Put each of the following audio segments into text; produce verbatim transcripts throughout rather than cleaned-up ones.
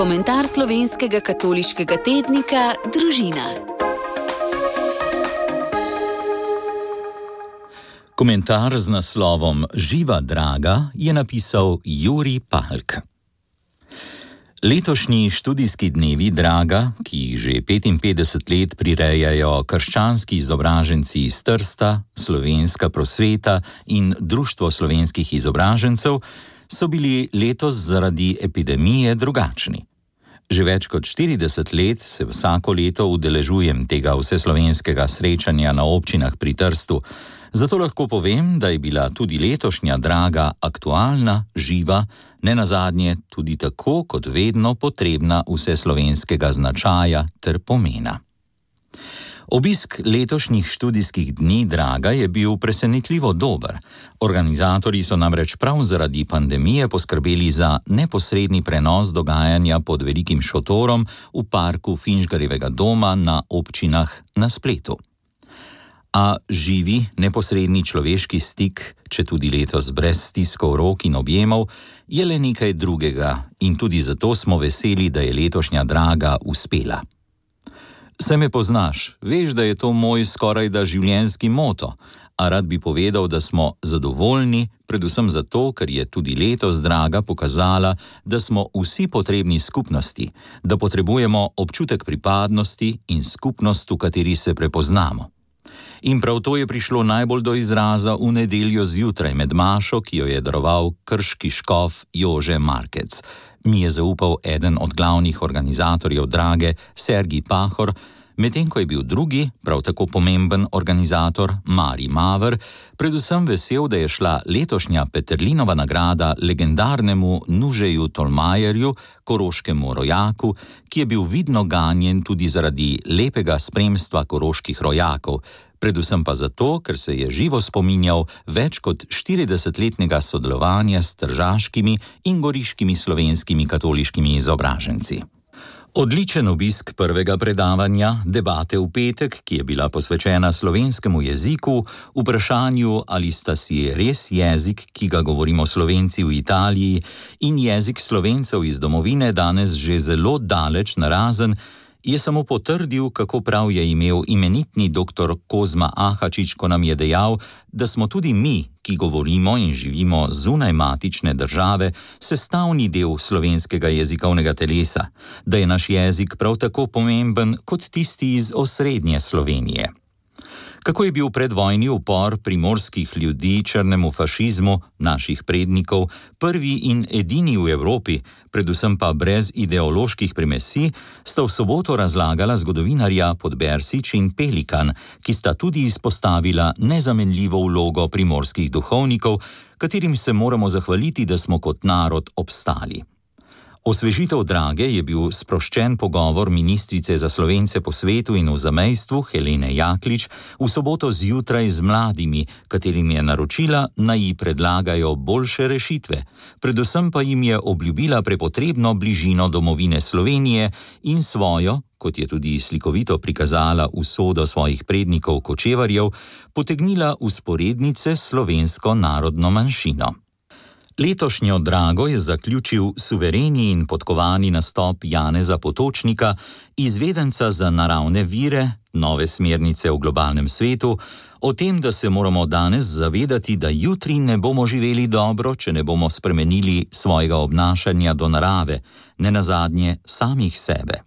Komentar slovenskega katoliškega tednika Družina. Komentar z naslovom Živa draga je napisal Jurij Palk. Letošnji študijski dnevi draga, ki jih že petinpetdeset let prirejajo krščanski izobraženci iz Trsta, Slovenska prosveta in Društvo slovenskih izobražencev, so bili letos zaradi epidemije drugačni. Že več kot štirideset let se vsako leto udeležujem tega vseslovenskega srečanja na občinah pri Trstu, zato lahko povem, da je bila tudi letošnja draga aktualna, živa, nenazadnje tudi tako kot vedno potrebna vseslovenskega značaja ter pomena. Obisk letošnjih študijskih dni draga je bil presenetljivo dober. Organizatorji so namreč prav zaradi pandemije poskrbeli za neposredni prenos dogajanja pod velikim šotorom v parku Finžgarjevega doma na občinah na spletu. A živi, neposredni človeški stik, če tudi letos brez stiskov rok in objemov, je le nekaj drugega in tudi zato smo veseli, da je letošnja draga uspela. Se me poznaš, veš, da je to moj skorajda življenjski moto, a rad bi povedal, da smo zadovoljni, predvsem zato, ker je tudi letos draga pokazala, da smo vsi potrebni skupnosti, da potrebujemo občutek pripadnosti in skupnost, v kateri se prepoznamo. In prav to je prišlo najbolj do izraza v nedeljo zjutraj med mašo, ki jo je daroval krški škof Jože Markec. Mi je zaupal eden od glavnih organizatorjev drage, Sergij Pahor, medtem ko je bil drugi, prav tako pomemben organizator, Mari Maver, predvsem vesel, da je šla letošnja Peterlinova nagrada legendarnemu Nužeju Tolmajerju, koroškemu rojaku, ki je bil vidno ganjen tudi zaradi lepega spremstva koroških rojakov, predvsem pa zato, ker se je živo spominjal več kot štiridesetletnega sodelovanja s tržaškimi in goriškimi slovenskimi katoliškimi izobraženci. Odličen obisk prvega predavanja, debate v petek, ki je bila posvečena slovenskemu jeziku, vprašanju, ali sta si res jezik, ki ga govorimo Slovenci v Italiji, in jezik Slovencev iz domovine danes že zelo daleč narazen, je samo potrdil, kako prav je imel imenitni doktor Kozma Ahačič, ko nam je dejal, da smo tudi mi, ki govorimo in živimo zunaj matične države, sestavni del slovenskega jezikovnega telesa, da je naš jezik prav tako pomemben kot tisti iz osrednje Slovenije. Kako je bil predvojni upor primorskih ljudi črnemu fašizmu, naših prednikov, prvi in edini v Evropi, predvsem pa brez ideoloških primesi, sta v soboto razlagala zgodovinarja Podbersič in Pelikan, ki sta tudi izpostavila nezamenljivo vlogo primorskih duhovnikov, katerim se moramo zahvaliti, da smo kot narod obstali. Osvežitev drage je bil sproščen pogovor ministrice za Slovence po svetu in v zamejstvu Helene Jaklič v soboto zjutraj z mladimi, katerim je naročila, naj ji predlagajo boljše rešitve, predvsem pa jim je obljubila prepotrebno bližino domovine Slovenije in svojo, kot je tudi slikovito prikazala usodo svojih prednikov kočevarjev, potegnila vzporednice s slovensko narodno manjšino. Letošnjo drago je zaključil suvereni in podkovani nastop Janeza Potočnika, izvedenca za naravne vire, nove smernice v globalnem svetu, o tem, da se moramo danes zavedati, da jutri ne bomo živeli dobro, če ne bomo spremenili svojega obnašanja do narave, nenazadnje samih sebe.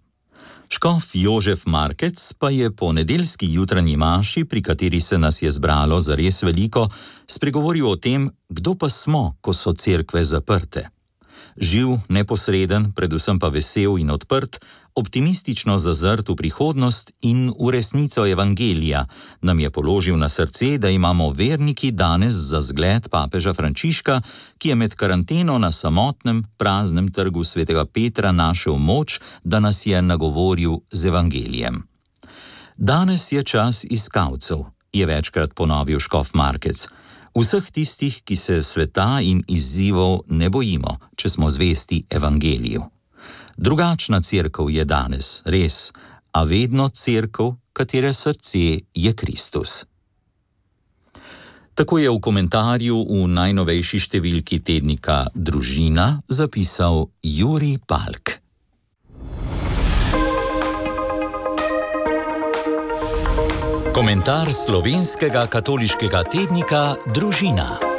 Škof Jožef Markec pa je po nedeljski jutranji maši, pri kateri se nas je zbralo zares veliko, spregovoril o tem, kdo pa smo, ko so cerkve zaprte. Živ, neposreden, predvsem pa vesel in odprt, optimistično zazrt v prihodnost in v resnico evangelija, nam je položil na srce, da imamo verniki danes za zgled papeža Frančiška, ki je med karanteno na samotnem, praznem trgu svetega Petra našel moč, da nas je nagovoril z evangelijem. Danes je čas iskalcev, je večkrat ponovil škof Markec. Vseh tistih, ki se sveta in izzivov ne bojimo, če smo zvesti evangeliju. Drugačna cerkev je danes, res, a vedno cerkev, katere srce je Kristus. Tako je v komentarju v najnovejši številki tednika Družina zapisal Jurij Palk. Komentar slovenskega katoliškega tednika Družina.